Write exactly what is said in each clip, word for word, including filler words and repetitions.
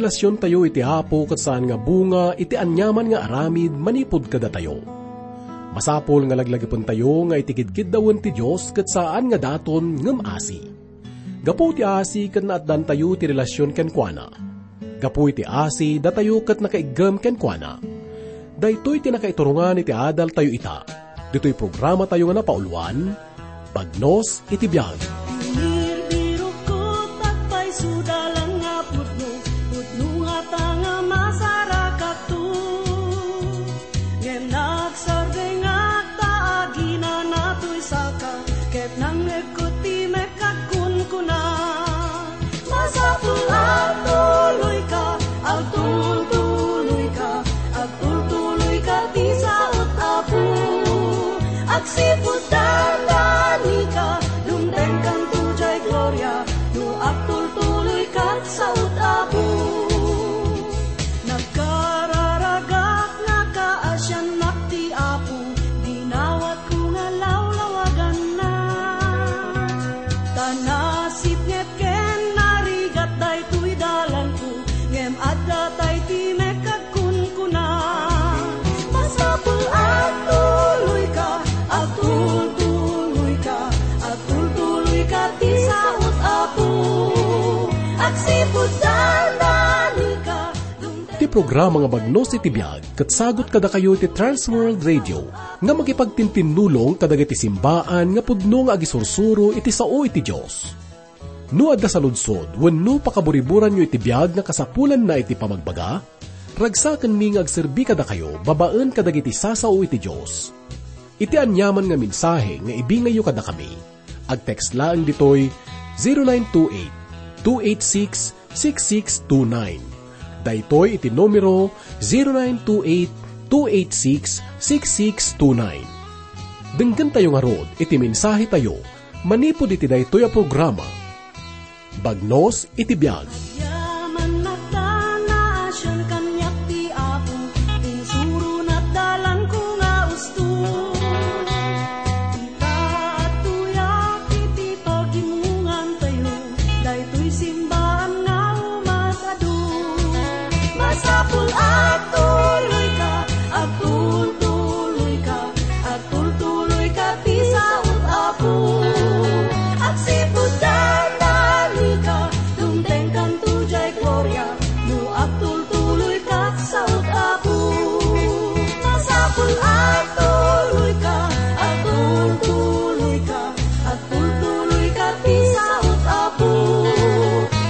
Relasyon tayo iti Apo ket saan nga bunga iti aniaman nga aramid manipud kadatayo. Masapul nga laglagipentayo nga iti kidkiddawen ti Dios ket saan nga daton ngem asi. Gapu ti asi ket naatdantayo ti relasyon kenkuana. Gapu iti asi, datayo ket nakaiggem kenkuana. Daytoy ti nakaiturongan iti adaltayo ita. Ditoy programatayo nga napauluan, Bagnos iti Biag. Birbirokko, agpayso dalan nga pudno, pudno ngata nga masarakakto. Ngem nagsardengak ta aginana toy saka, ket nangngegko ti mekka agkunkuna. Masapul a agtuloyka, agtultuloyka, agtultuloyka ti saot, Apo. Agsipud dandanika, dumtengkanto jay gloria, no agtultuloyka ti saot, Apo. Nagkararagak nga kaasiannak ti Apo, dinawatko nga lawlawaganna. Ta nasipnget ken narigat daytoy dalanko, ngem adda tay ti mekka agkunkuna. Masapul a agtuloyka, agtultuloyka, agtultuloyka ti saot, Apo. Agsipud dandanika, Ti programa nga Bagnos iti Biag ket sagut kadakayo iti Trans World Radio nga makipagtintinnulong kadagiti simbaan nga pudno nga agisursuro iti sao iti Dios. No adda saludsod wenno pakaburiburanyo iti biag nga kasapulanna iti pamagbaga, ragsakenmi nga agserbi kadakayo babaen kadagiti sasao iti Dios. Iti aniaman nga mensahe nga ibingayyo kadakami, agtext laeng ditoy zero nine two eight, two eight six, six six two nine. Daytoy iti numero, zero nine two eight, two eight six, six six two nine. Denggentayo ngarud iti mensahetayo manipud iti daytoy a programa. Bagnos iti biag. Yaman nagdana, sian kaniak ti Apo, insurona ti dalanko nga usto. Ita, agtoyak iti pagimongantayo, daytoy simbaan nga umat-adu. Masapul a agtuloyka, agtultuloyka, agtultuloyka ti saot, Apo. Agsipud dandanika, dumtengkanto jay gloria, no agtultuloyka ti saot, Apo. Masapul a agtuloyka, agtultuloyka, agtultuloyka ti saot, Apo.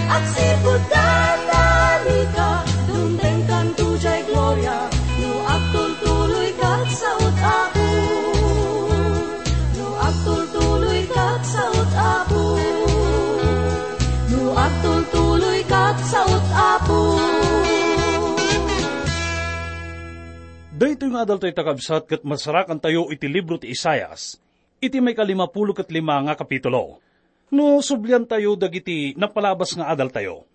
Agsipud dandanika, dumtengkanto jay gloria, no agtultuloyka ti saot, Apo. No agtultuloyka ti saot, Apo. No agtultuloyka ti saot, Apo. Daytoy nga adaltayo, kakabsat, ket masarakantayo iti libro ti Isaias, iti maikalimapulo ket lima nga kapitulo. No subliantayo dagiti napalabas nga adaltayo,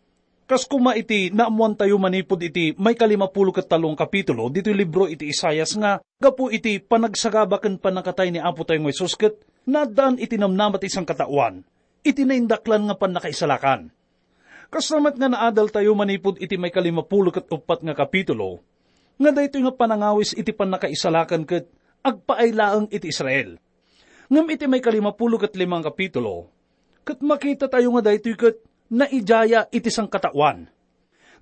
kas koma iti naammoantayo manipud iti maikalimapulo ket tallo nga kapitulo ditoy libro iti Isaias nga gapu iti panagsagaba ken pannakatay ni Apotayo nga Jesus ket naaddaan iti namnama ti sangkataoan iti naindaklan nga pannakaisalakan. Kasta met nga naadaltayo manipud iti maikalimapulo ket uppat nga kapitulo, nga daytoy nga panangawis iti pannakaisalakan ket agpaay laeng iti Israel. Ngem iti maikalimapulo ket lima nga kapitulo, ket makitatayo nga daytoy ket naidaya iti sangkataoan.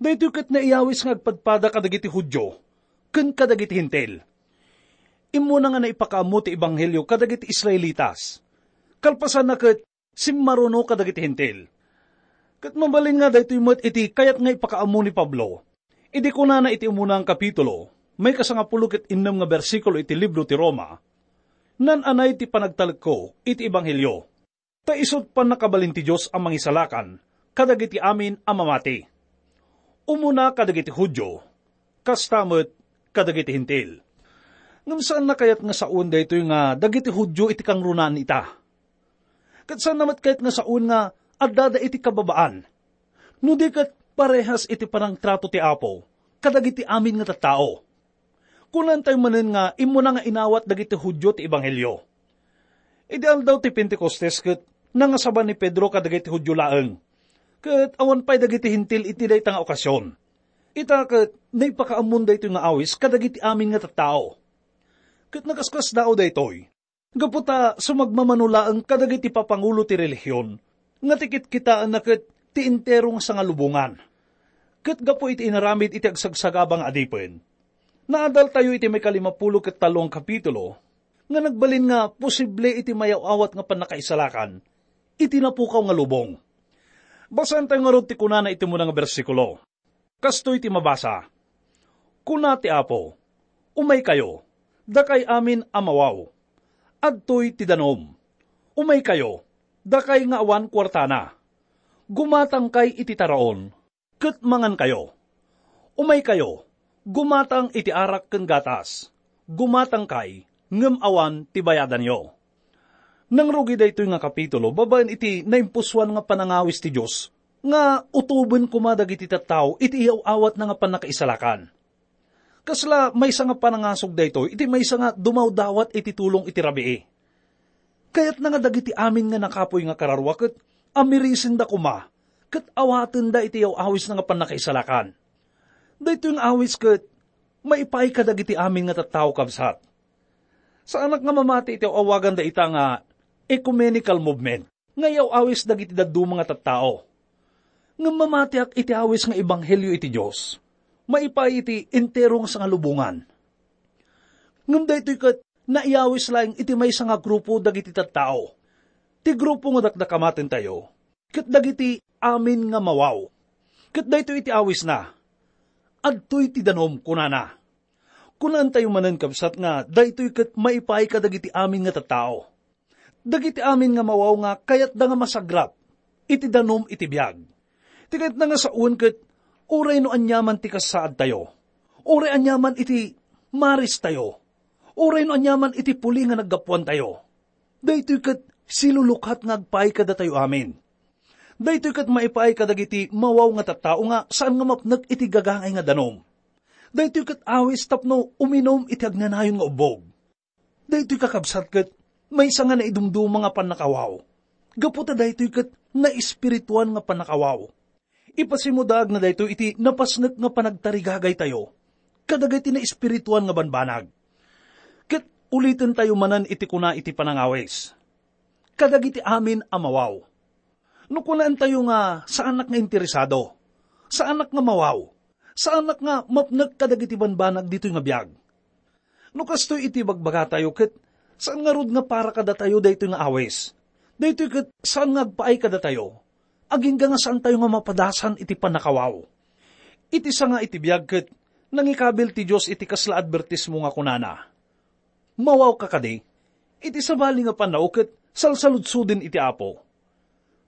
Daytoy ket naiyawis nga agpadpada kadagiti Judio ken kadagiti Hentil. Immuna nga naipakaammo ti ebanghelio kadagiti Israelitas. Kalpasanna ket simmaruno kadagiti Hentil. Ket mabalin nga daytoy met iti kayat nga ipakaammo ni Pablo. Idi kunana iti umuna nga kapitulo, maikasangapulo ket innem nga bersikulo iti libro ti Roma, "Naan-anay ti panagtalekko iti ebanghelio, ta isut' pannakabalin ti Dios a mangisalakan kadagiti amin a mamati, umuna kadagiti Judio, kasta met kadagiti Hentil." Ngem saanna kayat nga saoen daytoy nga dagiti Judio iti kangrunaan ita? Ket saanna met kayat nga saoen nga addada iti kababaan, no di ket parehas iti panangtrato ti Apo kadagiti amin nga tattao? Kunantayo manen nga immuna nga inawat dagiti Judio ti ebanghelio. Idi aldaw ti Pentecostes ket nangasaba ni Pedro kadagiti Judio laeng, ket awan pay dagiti Hentil iti dayta nga okasion. Ita ket naipakaammon daytoy nga awis kadagiti amin nga tattao. Ket nakaskasdaaw daytoy, gapu ta sumagmamano laeng kadagiti papangulo ti relihion nga ti kitkitaenna ket ti entero nga sangalubongan. Ket gapu iti inaramid iti agsagsagaba nga adipen, naadaltayo iti maikalimapulo ket tallo nga kapitulo nga nagbalin nga posible iti mayaw-awat nga pannakaisalakan iti napukaw nga lubong. Basaentayo ngarud ti kunana iti umuna nga bersikulo. Kastoy ti mabasa, "Kuna ti Apo, 'Umaykayo, dakay amin a mawaw. Adtoy ti danum. Umaykayo, dakay nga awan kuartana. Gumatangkay iti taraon, ket mangankayo. Umaykayo, gumatang iti arak ken gatas. Gumatangkay, ngem awan ti bayadanyo.'" Nangrugi daytoy nga kapitulo babaen iti naimpusoan nga panangawis ti Dios nga utoben koma dagiti tattao iti iyaw-awatna nga pannakaisalakan. Kasla maysa nga panangasog daytoy iti maysa nga dumawdawat iti tulong iti rabii. Kayatna nga dagiti amin nga nakapuy nga kararua ket amirisenda koma ket awatenda iti iyaw-awisna nga pannakaisalakan. Daytoy nga awis ket maipaay kadagiti amin nga tattao, kabsat. Saanak nga mamati iti awagan dayta nga ecumenical movement nga iyaw-awis dagiti dadduma nga tattao. Ngem mamatiak iti awis nga ebanghelio iti Dios. Maipaay iti entero nga sangalubongan. Ngem daytoy ket naiyawis laeng iti maysa nga grupo dagiti tattao. Ti grupo nga dakdakamatentayo, ket dagiti amin nga mawaw. Ket daytoy iti awisna, "Adtoy ti danum," kunana. Kunaentayo manen, kabsat, nga daytoy ket maipaay kadagiti amin nga tattao. Dagiti amin nga mawaw nga kayatda nga masagrap iti danum iti biag. Ti kayatna nga sawen ket uray no aniaman ti kasaadtayo, uray aniaman iti maristayo, uray no aniaman iti puli nga naggapuantayo, daytoy ket silulukat nga agpaay kadatayo amin. Daytoy ket maipaay kadagiti mawaw nga tattao nga saan nga mapnek iti gagangay nga danum. Daytoy ket awis tapno uminum iti agnanayon nga ubbog. Daytoy, kakabsat, ket maysa nga naidumduma nga pannakawaw. Gapu ta daytoy ket naespirituan nga pannakawaw. Ipasimudaagna daytoy iti napasnek nga panagtarigagaytayo kadagiti naespirituan nga banbanag. Ket ulitentayo manen iti kuna iti panangawis, "Kadagiti amin a mawaw." No kunaentayo nga saanak nga interesado, saanak nga mawaw, saanak nga mapnek kadagiti banbanag ditoy nga biag, no kastoy iti bagbagatayo, ket saan ngarud nga para kadatayo daytoy nga awis. Daytoy ket saan nga agpaay kadatayo, agingga nga saantayo nga mapadasan iti pannakawaw. Iti sanga iti biag ket nangikabil ti Dios iti kasla adbertismo nga kunana, "Mawawka kadi? Iti sabali nga pannao ket salsaludsuden iti Apo.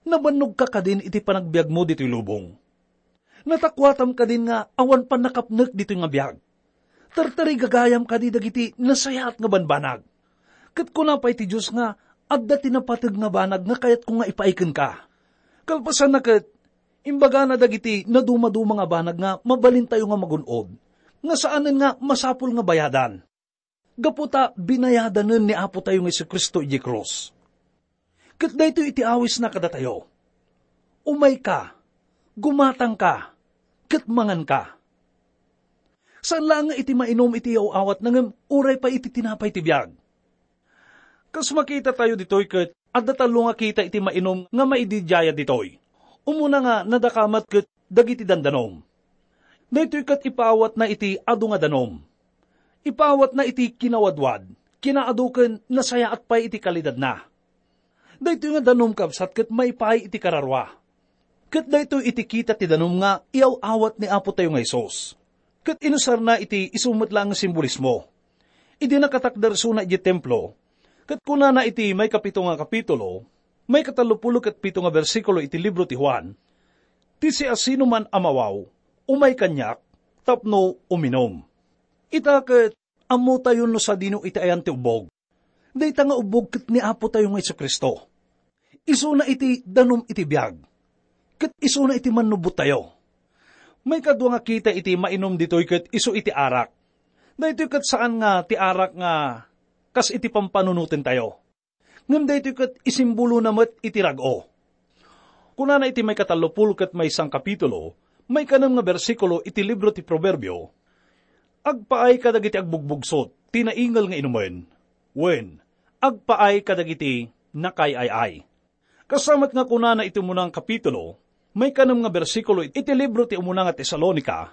Nabannogka kadin iti panagbiagmo ditoy lubong? Natakuatam kadin nga awan pannakapnek ditoy nga biag? Tartarigagayam kadi dagiti nasayaat nga banbanag?" Ket kuna pay ti Dios nga adda ti napateg nga banag nga kayatko nga ipaay kenka. Kalpasanna ket, imbagana dagiti nadumaduma nga banag nga mabalintayo nga magun-od, nga saanen nga masapul nga bayadan. Gapu ta binayadanen ni Apo tayo nga Jesu-Cristo idiay krus. Ket daytoy iti awisna kadatayo, "Umayka, gumatangka, ket manganka." Saan laeng nga iti mainum iti aw-awatna ngem uray pay iti tinapay ti biag. Kas makita tayo ditoy ket adda tallo nga kita iti mainum nga maididiayad ditoy. Umuna nga nadakamat ket dagiti dandanum. Daytoy ket ipaawatna iti adu nga danum. Ipaawatna iti kinawadwad, kinaadu ken nasayaat pay iti kalidadna. Daytoy nga danum, kabsat, ket maipaay iti kararua. Ket daytoy iti kita ti danum nga iyaw-awat ni Apo tayo nga Jesus. Ket inusarna iti isu met laeng nga simbolismo. Idi nakatakder isuna idiay templo, ket kunana iti maikapito nga kapitulo, maikatallopulo ket pito nga bersikulo iti libro ti Juan, "Ti siasinoman a mawaw, umay kaniak tapno uminum." Ita ket ammotayon no sadino iti ayan ti ubbog. Dayta nga ubbog ket ni Apo tayo nga Jesu-Cristo. Isuna iti danum iti biag, ket isuna iti mannubbottayo. Maikadua nga kita iti mainum ditoy ket isu iti arak. Daytoy ket saan nga ti arak nga kas iti pampanunotentayo. Ngem daytoy ket isimbolona met iti rag-o. Kunana iti maikatallopulo ket maysa nga kapitulo, Maikanem nga bersikulo iti libro ti Proverbio, agpaay kadagiti agbugbugsot ti naingel nga inumen, wen, agpaay kadagiti nakaay-ay-ay. Kasamet nga kunana iti umuna nga kapitulo, maikanem nga bersikulo iti libro ti umuna nga Tesalonica,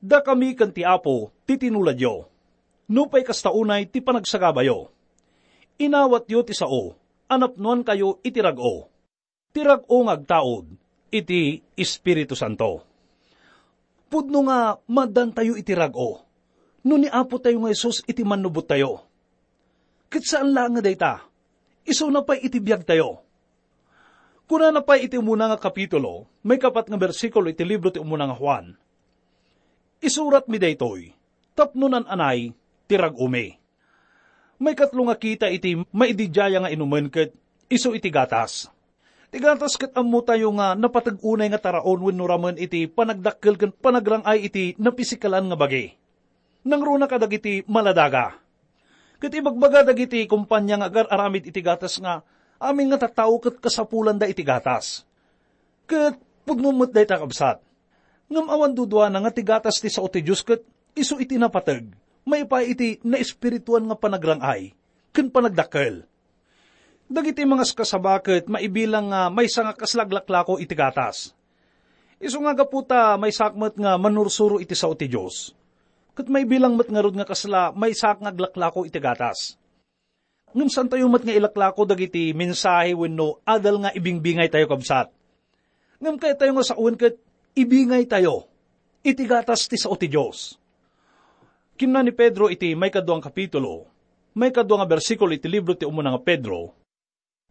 "Dakami ken ti Apo ti tinuladyo. Nupay kasta unay ti panagsagabayo, inawatyo ti sao a napnoankayo iti rag-o, ti rag-o nga agtaud iti Espiritu Santo." Pudno nga maaddaantayo iti rag-o no ni Apotayo nga Jesus iti mannubottayo. Ket saan laeng nga dayta, isuna pay iti biagtayo. Kunana pay iti umuna nga kapitulo, maikapat nga bersikulo iti libro ti umuna nga Juan, "Isuratmi daytoy tapno nan-anay ti rag-omi." Maikatlo nga kita iti maididiaya nga inumen ket isu iti gatas. Ti gatas ket ammotayo nga napateg unay nga taraon wenno ramen iti panagdakkel ken panagrang-ay iti napisikalan nga bagi. Nangruna kadagiti maladaga. Ket ibagbaga dagiti kompania nga agar-aramid iti gatas nga amin nga tattao ket kasapulanda iti gatas. Ket pudno met dayta, kabsat. Ngem awan duduana nga ti gatas ti sao ti Dios ket isu iti napateg, maipaay iti naespirituan nga panagrang-ay ken panagdakkel. Dagiti mangaskasaba ket maibilang nga maysa nga kasla aglaklako iti gatas. Isu nga gapu ta maysaak met nga manursuro iti sao ti Dios, ket maibilang met ngarud nga kasla maysaak nga aglaklako iti gatas. Ngem saantayo met nga ilaklako dagiti mensahe wenno adal nga ibingbingaytayo, kabsat. Ngem kayatyo nga sawen ket ibingaytayo iti gatas ti sao ti Dios. Kinuna ni Pedro iti maikadua nga kapitulo, maikadua nga bersikulo iti libro ti umuna nga Pedro,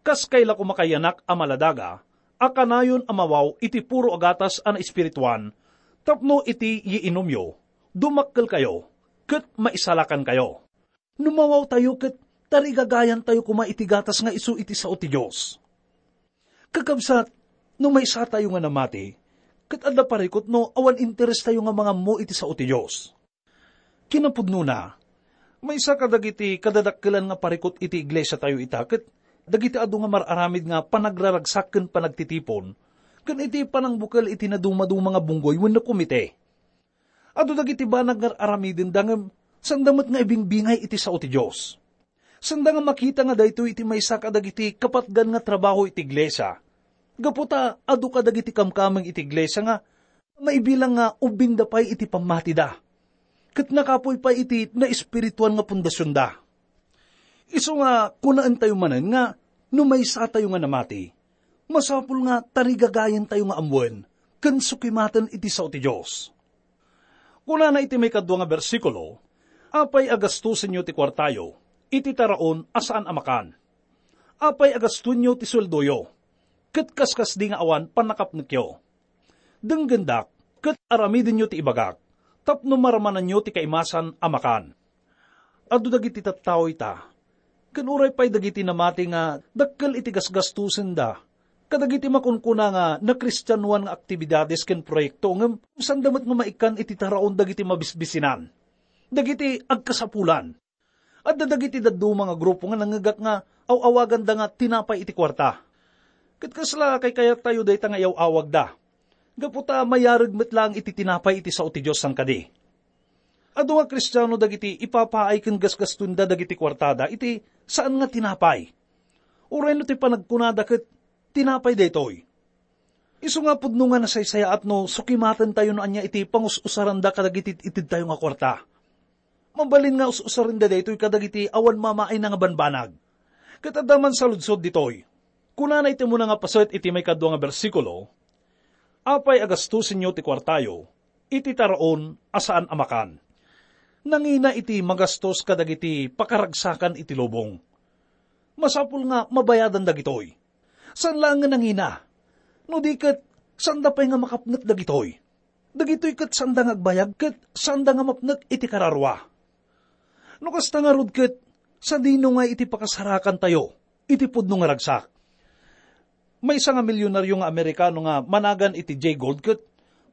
"Kas kayla koma, kayyanak a maladaga, a kanayon a mawaw iti puro a gatas a naespirituan, tapno iti iinumyo, dumakkelkayo, ket maisalakankayo." No mawawtayo ket tarigagayantayo koma iti gatas nga isu iti sao ti Dios. Kakabsat, no maysatayo nga namati, ket adda parikut no awan interestayo nga mangammo iti sao ti Dios. Kinapudnona, maysa kadagiti kadadakkelan nga parikut iti iglesiatayo ita ket dagiti adu nga mar-aramid nga panagraragsak ken panagtitipon, ken iti panangbukel iti nadumaduma nga bunggoy wenno komite. Adu dagiti banag nga ar-aramidenda ngem sanda met nga ibingbingay iti sao ti Dios. Sanda nga makita nga daytoy iti maysa kadagiti kapatgan nga trabaho iti iglesia. Gapu ta adu kadagiti kamkameng iti iglesia nga maibilang nga ubbingda pay iti pammatida, ket nakapuy pay iti naespirituan nga pundasionda. Isu nga kunaentayo manen nga no maysatayo nga namati, masapul nga tarigagayantayo nga ammoen ken sukimaten iti sao ti Dios. Kunana iti maikadua nga bersikulo, "Apay a gastosenyo ti kuartayo iti taraon a saan a makan? Apay a gastoenyo ti sueldoyo ket kaskasdi nga awan pannakapnekyo? Denggendak ket aramidenyo ti ibagak tapno maramananyo ti kaimasan a makan." Adu dagiti tattao ita, ken uray pay dagiti namati nga dakkel iti gasgastosenda kadagiti makunkuna nga nakristianoan nga aktibidades ken proyekto ngem sanda met nga maikkan iti taraon dagiti mabisbisinan, dagiti agkasapulan. Adda dagiti dadduma nga grupo nga nangngegak nga aw-awaganda nga tinapay iti kuarta. Ket kasla kaykayattayo dayta nga iyaw-awagda, gapu ta mayareg met laeng iti tinapay iti sao ti Dios sangkadi. Adu nga Kristiano dagiti ipapaay ken gasgastoenda dagiti kuartada iti saan nga tinapay. Uray no ti panagkunada ket tinapay daytoy. Isu nga pudno nga nasaysayaat no sukimatentayo no ania iti pangus-usaranda kadagiti itedtayo nga kuarta. Mabalin nga us-usarenda daytoy kadagiti awan mamaayna nga banbanag. Ket adda man saludsod ditoy. Kunana iti umuna nga paset iti maikadua nga bersikulo, "Apay a gastosenyo ti kuartayo iti taraon a saan a makan? Nangina iti magastos kadagiti pakaragsakan iti lubong. Masapul nga mabayadan dagitoy. Saan laeng nga nangina. No di ket, sanda pay nga makapnek dagitoy. Dagitoy ket sanda nga agbayag ket sanda nga mapnek iti kararua. No kasta ngarud ket, sadino nga iti pakasarakantayo iti pudno nga ragsak?" Maysa nga milyonaryo nga Amerikano nga managan iti Jay Gould ket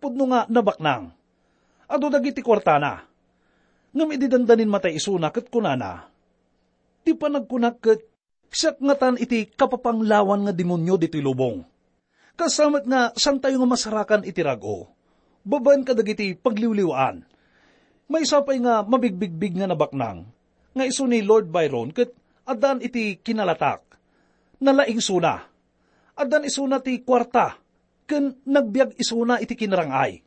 pudno nga nabaknang. Adu dagiti kuartana. Ngem idi dandanin matay isuna ket kunana, "Ti panagkunak ket siak ngatan iti kapapanglawan nga demonio ditoy lubong. Kasta met nga santayo nga masarakan iti rag-o, Babaen kadagiti pagliwliwaan, maysa pay nga mabigbigbig nga nabaknang nga isu ni Lord Byron ket addaan iti kinalatak. Nalaing isuna. Addaan isuna ti kuarta ken nagbiag isuna iti kinarang-ay.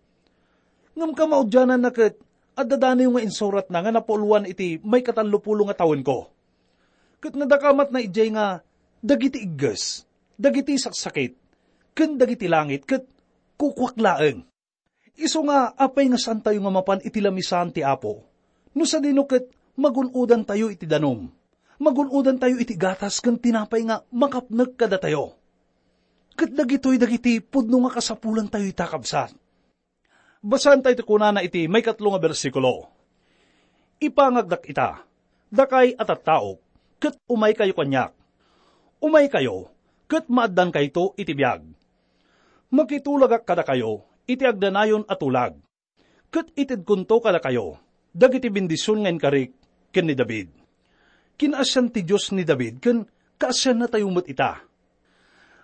Ngem kamaudiananna ket adda daniw nga insuratna nga napuloan iti maikatallopulo nga tawenko. Ket nadakamatna idiay nga dagiti igges, dagiti saksakit, ken dagiti langit ket kukuak laeng. Isu nga apay nga saantayo nga mapan iti lamisaan ti Apo, no sadino ket magun-odantayo iti danum, magun-odantayo iti gatas ken tinapay nga makapnek kadatayo. Ket dagitoy dagiti pudno nga kasapulantayo ita, kabsat. Basaentayo ti kunana iti maikatlo nga bersikulo, "Ipangagdak ita, dakay a tattaok, ket umaykayo kaniak. Umaykayo, ket maaddankayto iti biag. Makitulagak kadakayo iti agdanayon a tulag, ket itedkonto kadakayo dagiti bendision nga inkarik ken ni David." Kinaasian ti Dios ni David ken kaasiannatayo met ita.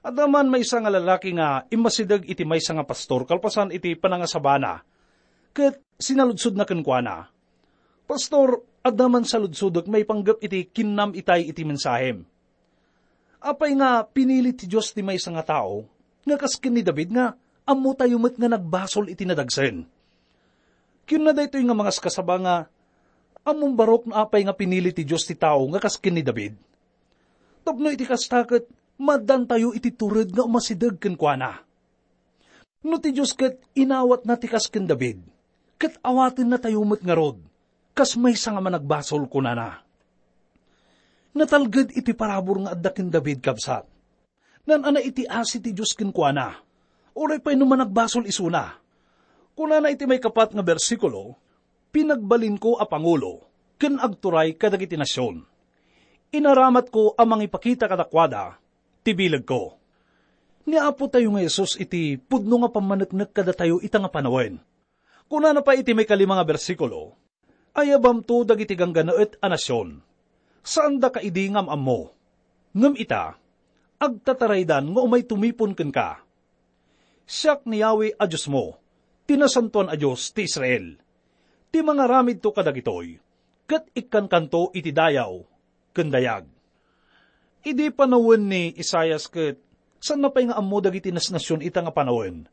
Adda man maysa nga lalaki nga immasideg iti maysa nga pastor kalpasan iti panangasabana, ket sinaludsodna kenkuana, "Pastor, adda man saludsodek maipanggep iti kinnam itay iti mensahem. Apay nga pinili ti Dios ti maysa nga tao nga kas ken ni David nga ammotayo met nga nagbasol iti nadagsen?" Kinuna daytoy nga mangaskasaba nga, "Ammom barok no apay nga pinili ti Dios ti tao nga kas ken ni David? Tapno iti kasta ket maaddantayo iti tured nga umasideg kenkuana. No ti Dios ket inawatna ti kas ken David, ket awatennatayo met ngarud kas maysa nga managbasol," kunana. Natalged iti parabur nga adda ken David, kabsat. Naan-anay iti asi ti Dios kenkuana, uray pay no managbasol isuna. Kunana iti maikapat nga bersikulo, "Pinagbalinko a pangulo ken agturay kadagiti nasion. Inaramatko a mangipakita kadakuada ti bilegko." Ni Apotayo nga Jesus iti pudno nga pammaneknek kadatayo ita nga panawen. Kunana pay iti maikalima nga bersikulo, "Ayabamto dagiti ganggannaet a nasion. Saandaka idi nga am-ammo. Ngem ita, agtataraydan nga umay tumipon kenka. Siak ni Yahweh a Diosmo, ti Nasantoan a Dios ti Israel, ti mangaramidto kadagitoy, ket ikkankanto iti dayaw ken dayag." Idi panawen ni Isaias ket saanna pay nga ammo dagiti nasnasion ita nga panawen.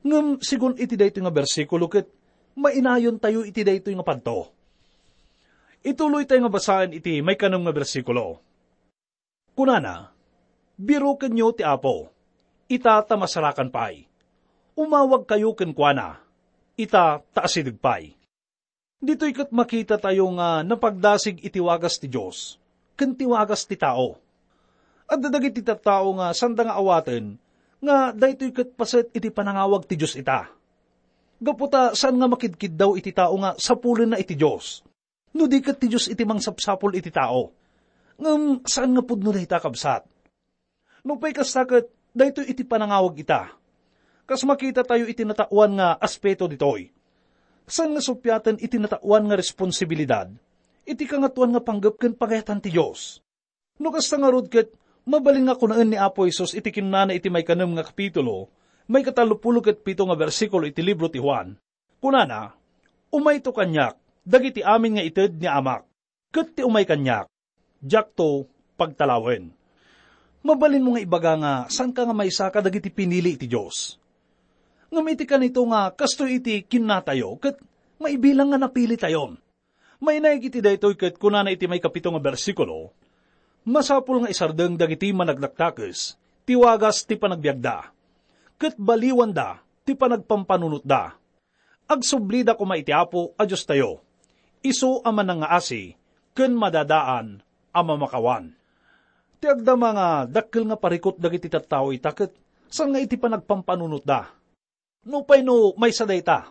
Ngem segun iti daytoy nga bersikulo ket mainayontayo iti daytoy nga padto. Ituloytayo nga basaen iti maikanem nga bersikulo. Kunana, "Birokenyo ti Apo, ita ta masarakan pay. Umawagkayo kenkuana, ita ta asideg pay." Ditoy ket makitatayo nga napagdasig iti wagas ti Dios ken ti wagas ti tao. Adda dagiti tattao nga sanda nga awaten nga daytoy ket paset iti panangawag ti Dios ita. Gapu ta saan nga makidkiddaw iti tao nga sapulenna iti Dios, no di ket ti Dios iti mangsapsapul iti tao. Ngem saan nga pudno dayta, kabsat. Nupay kasta ket, daytoy iti panangawag ita. Kas makitatayo iti nataoan nga aspeto ditoy, saan nga suppiaten iti nataoan nga responsibilidad iti Kangatoan nga panggep ken pagayatan ti Dios. No kasta ngarud ket, mabalin nga kunaen ni Apo Jesus iti kinunana iti maikanem nga kapitulo, maikatallopulo ket pito nga bersikulo iti libro ti Juan. Kunana, "Umayto kaniak dagiti amin nga ited ni Amak, ket ti umay kaniak, diakto pagtalawen." Mabalinmo nga ibaga nga saanka nga maysa kadagiti pinili iti Dios. Ngem iti kanito nga kastoy iti kinnatayo ket maibilang nga napilitayon. Mainaig iti daytoy ket kunana iti maikapito nga bersikulo, "Masapul nga isardeng dagiti managdakdakes ti wagas ti panagbiagda, ket baliwanda ti panagpampanunotda. Agsublida koma iti Apo a Diostayo, isu a manangngaasi ken madadaan a mamakawan." Ti agdama nga dakkel nga parikut dagiti tattao ita ket saan nga iti panagpampanunotda. Nupay no maysa dayta,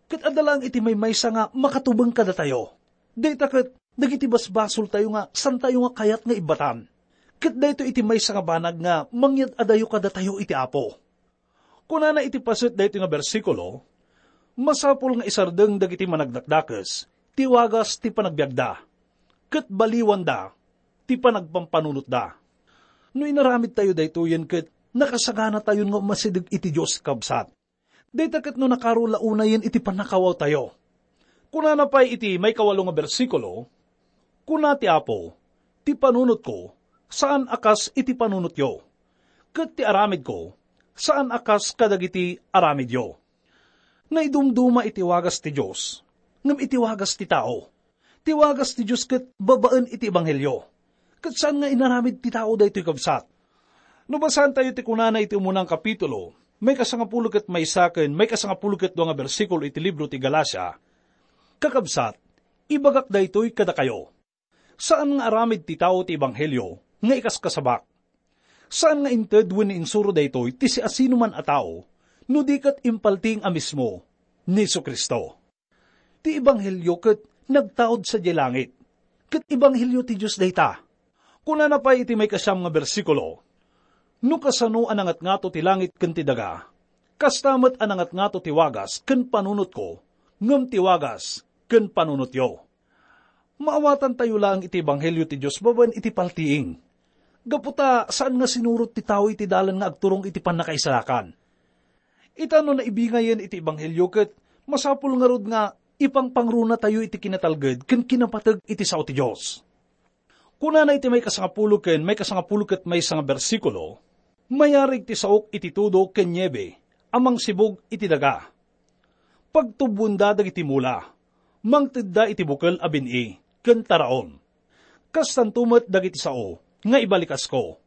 ket adda laeng iti maymaysa nga makatubeng kadatayo. Dayta ket dagiti basbasoltayo nga saantayo nga kayat nga ibbatan. Ket daytoy iti maysa nga banag nga mangyad-adayo kadatayo iti Apo. Kunana iti paset daytoy nga bersikulo, "Masapul nga isardeng dagiti managdakdakes ti wagas ti panagbiagda, ket baliwanda ti panagpampanunotda." No inaramidtayo daytoyen ket nakasaganatayon nga umasideg iti Dios, kabsat. Dayta ket no nakaro la unayen iti pannakawawtayo. Kunana pay iti maikawalo nga bersikulo, "Kuna ti Apo, 'Ti panunotko, saan a kas iti panunotyo, ket ti aramidko, saan a kas kadagiti aramidyo.'" Naidumduma iti wagas ti Dios, ngem iti wagas ti tao. Ti wagas ti Dios ket babaen iti ebanghelio. Ket saan nga inaramid ti tao daytoy, kabsat. No basaentayo ti kunana iti umunang kapitulo, maikasangapulo ket maysa ken maikasangapulo ket dua nga bersikulo iti libro ti Galacia, kakabsat, ibagak daytoy kadakayo. Saan nga aramid ti tao ti ebanghelio nga ikaskasabak. Saan nga inted wenno insuro daytoy ti siasinoman a tao, no di ket impaltiing a mismo ni Jesu-Cristo. Ti ebanghelio ket nagtaud sadiay langit, ket ebanghelio ti Dios dayta. Kunana pay iti maikasiam nga bersikulo, "No kasano a nangatngato ti langit ken ti daga, kasta met a nangatngato ti wagas ken panunotko, ngem ti wagas ken panunotyo." Maawatantayo laeng iti ebanghelio ti Dios babaen iti paltiing. Gapu ta saan nga sinurot ti tao iti dalan nga agturong iti pannakaisalakan. Ita no naibingayen iti ebanghelio ket masapul ngarud nga ipangpangronatayo iti kinatalged ken kinapateg iti sao ti Dios. Kunana iti maikasangapulo ken maikasangapulo ket maysa nga bersikulo, "Mayarig ti saok iti tudo ken niebe a mangsibug iti daga. Pagtubboenda dagiti mula, mangtedda iti bukel a bin-i ken taraon. Kastanto met dagiti sao nga ibalikasko.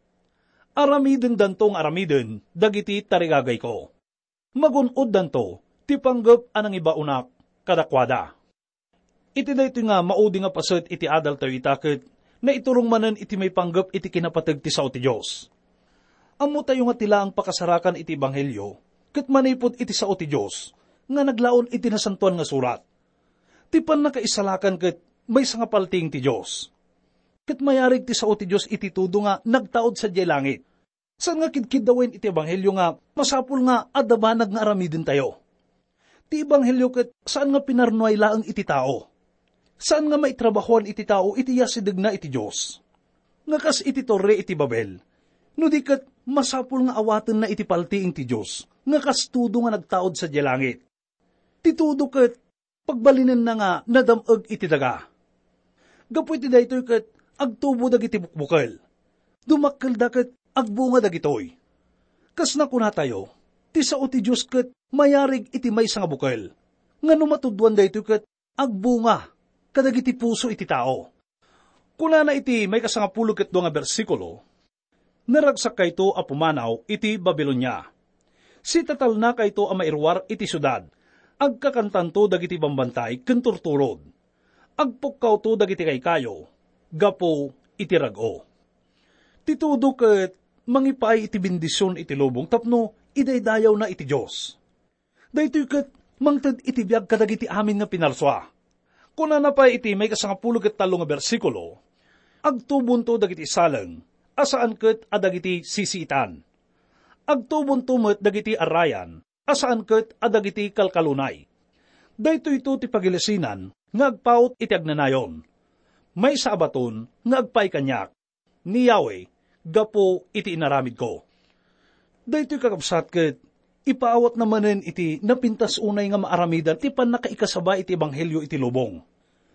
Aramidendanto nga aramiden dagiti tarigagayko. Magun-oddanto ti panggep a nangibaonak kadakuada." Iti daytoy nga maudi nga paset iti adaltayo ita ket naiturong manen iti maipanggep iti kinapateg ti sao ti Dios. Ammotayo nga ti laeng pakasarakan iti ebanghelio ket manipud iti sao ti Dios nga naglaon iti Nasantoan nga Surat. Ti pannakaisalakan ket maysa nga paltiing ti Dios. Ket mayarig ti sao ti Dios iti tudo nga nagtaud sadiay langit. Saan nga kidkiddawen iti ebanghelio nga masapul nga adda banag nga aramidentayo. Ti ebanghelio ket saan nga pinarnuay laeng iti tao. Saan nga maitrabahoan iti tao iti yasidegna iti Dios. Nga kas iti torre iti Babel, no di ket masapul nga awatenna iti paltiing ti Dios, nga kas tudo nga nagtaud sadiay langit. Ti tudo ket pagbalinenna nga nadam-eg iti daga. Gapu iti daytoy ket agtubo dagiti bukbukel. Dumakkelda ket agbunga dagitoy. Kas nakunatayo, ti sao ti Dios ket mayarig iti maysa nga bukel, nga no matudwan daytoy ket agbunga kadagiti puso iti tao. Kunana iti maikasangapulo ket dua nga bersikulo, "Naragsakkayto a pumanaw iti Babilonia. Sitatalnakayto a mairuar iti siudad. Agkakantanto dagiti bambantay ken turturod. Agpukkawto dagiti kaykayo gapu iti rag-o." Ti tudo ket mangipaay iti bendision iti lubong tapno idaydayawna iti Dios. Daytoy ket mangted iti biag kadagiti amin nga pinarsua. Kunana pay iti maikasangapulo ket tallo nga bersikulo, "Agtubonto dagiti saleng a saan ket a dagiti sisiitan. Agtubonto met dagiti arrayan a saan ket a dagiti kalkalunay. Daytoyto ti pagilasinan nga agpaut iti agnanayon. Maysa a baton nga agpaay kaniak ni Yahweh gapu iti inaramidko." Daytoy, kakabsat, ket ipaawatna manen iti napintas unay nga maaramidan ti pannakaikasaba iti ebanghelio iti lubong.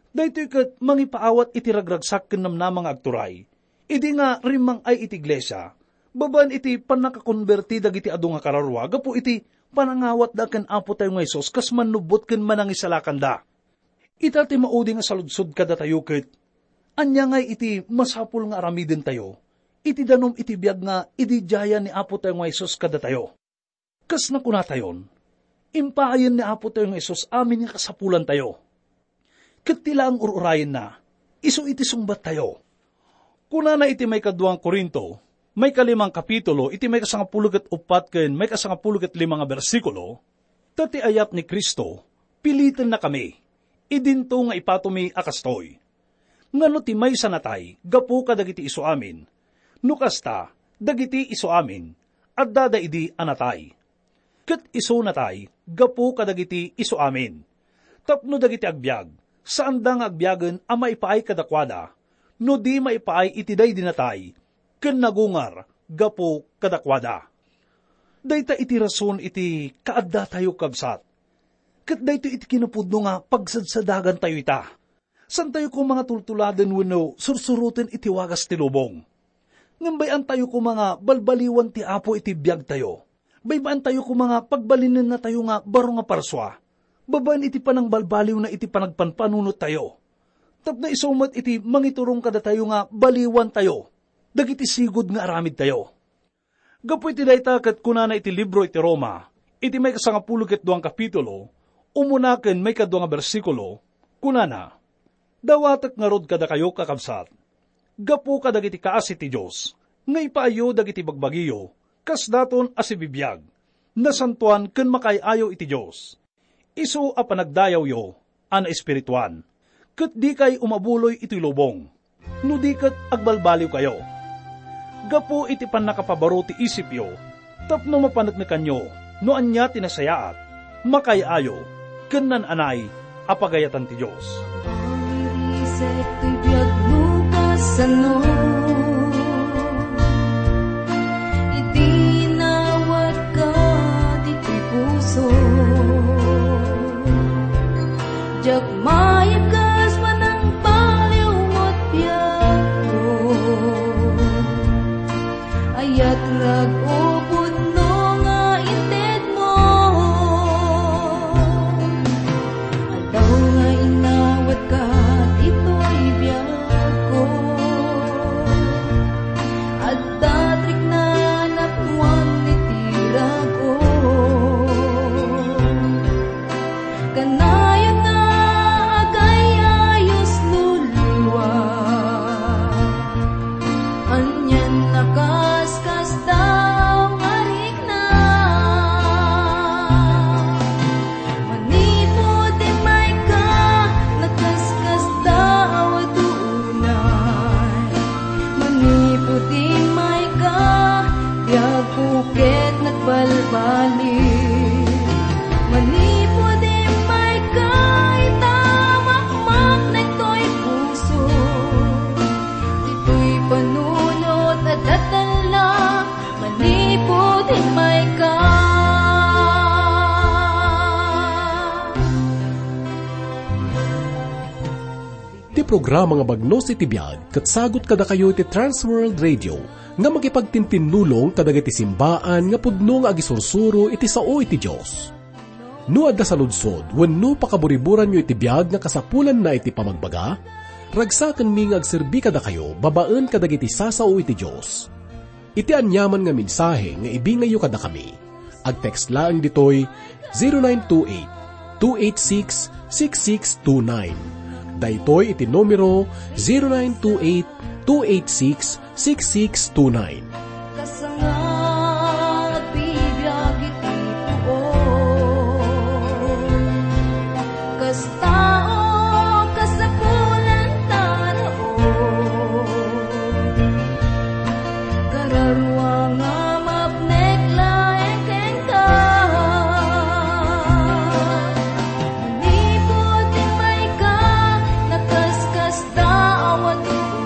Daytoy ket mangipaawat iti ragragsak ken namnama nga agturay idi nga rimmang-ay iti iglesia, babaen iti pannakakonberti dagiti adu nga kararua gapu iti panangawatda ken Apotayo nga Jesus kas mannubbot ken manangisalakanda. Ita ti maudi nga saludsod kadatayo ket, ania ngay iti masapul nga aramidentayo iti danum iti biag nga ididiayan ni Apotayo nga Jesus kadatayo? Kas nakunatayon, impaayen ni Apotayo nga Jesus amin nga kasapulantayo. Ket ti laeng ur-urayenna, isu iti sungbattayo. Kunana iti maikadua nga Corinto, maikalimang kapitulo, iti maikasangapulo ket uppat ken maikasangapulo ket lima nga bersikulo, "Ta ti ayat ni Cristo, pilitennakami, idinto nga ipatomi a kastoy. Ngano ti maysa natay gapu kadagiti isuamin? No kasta, dagiti isuamin, addada idi a natay. Ket isu natay gapu kadagiti isuamin. Tapno dagiti agbiag, saanda nga agbiagen a maipaay kadakuada, no di maipaay iti daydi natay, ken nagungar gapu kadakuada." Dayta iti rason iti kaaddatayo, kabsat. Ket daytoy iti kinapudno nga pagsadsadagantayo ita. Saantayo koma nga tultuladen wenno sursuroten iti wagas ti lubong. Ngem bay-antayo koma nga balbaliwan ti Apo iti biagtayo. Bay-baantayo koma nga pagbalinennatayo nga baro nga parsua, babaen iti panangbalbaliwna iti panagpanpanunottayo. Tapno isu met iti mangiturong kadatayo nga baliwantayo dagiti sigud nga aramidtayo. Gapu iti dayta ket kunana iti libro iti Roma, iti maikasangapulo ket duang kapitulo, umuna ken maikadua nga bersikulo, kunana, "Dawatek ngarud kadakayo, kakabsat, gapu kadagiti kaasi ti Dios, nga ipaayyo dagiti bagbagiyo, kasdaton a sibibiag, nasantoan ken makaay-ayo iti Dios. Isu a panagdayawyo a naespirituan, ket dikay umabuloy iti lubong, no di ket agbalbaliwkayo. Gapu iti pannakapabaro ti isipyo, tapno mapaneknekanyo no ania ti nasayaat, makaay-ayo, ken naan-anay a pagayatan ti Dios." Pawirisek toy biag no kasano, idi nawat ka ditoy puso. Diak maikes manangbaliw met biagko. Ayat rag-o pudno nga intedmo. Aldaw nga inawat ka ditoy biagko. Adda triknanak wan iti rag-o. Kanayon nga agay-ayos no liwa. Anian a kaskasdaaw nga rikna. Manipud immayka, nakaskasdaaw a tunay. Manipud immayka, biagko ket nagbalbaliw. Manipud immayka, ita makmaknek toy puso. Ditoy panunot a datella, manipud immayka. Ti programa nga Bagnos iti Biag ket sagut kadakayo iti Trans World Radio nga makipagtintinnulong kadagiti simbaan nga pudno nga agisursuro iti sao iti Dios. No adda saludsod wenno pakaburiburanyo iti biag nga kasapulanna iti pamagbaga, ragsakenmi nga agserbi kadakayo babaen kadagiti sasao iti Dios. Iti aniaman nga mensahe nga ibingayyo kadakami, agtext laeng ditoy zero nine two eight, two eight six, six six two nine. Daytoy iti numero zero nine two eight, two eight six, six six two nine. Kasangagan ti biag iti puon. Kasta, o, kasapulan ta raon. Kararua nga mapnek laeng kenka. Manipud immayka, nakaskasdaaw a tuo.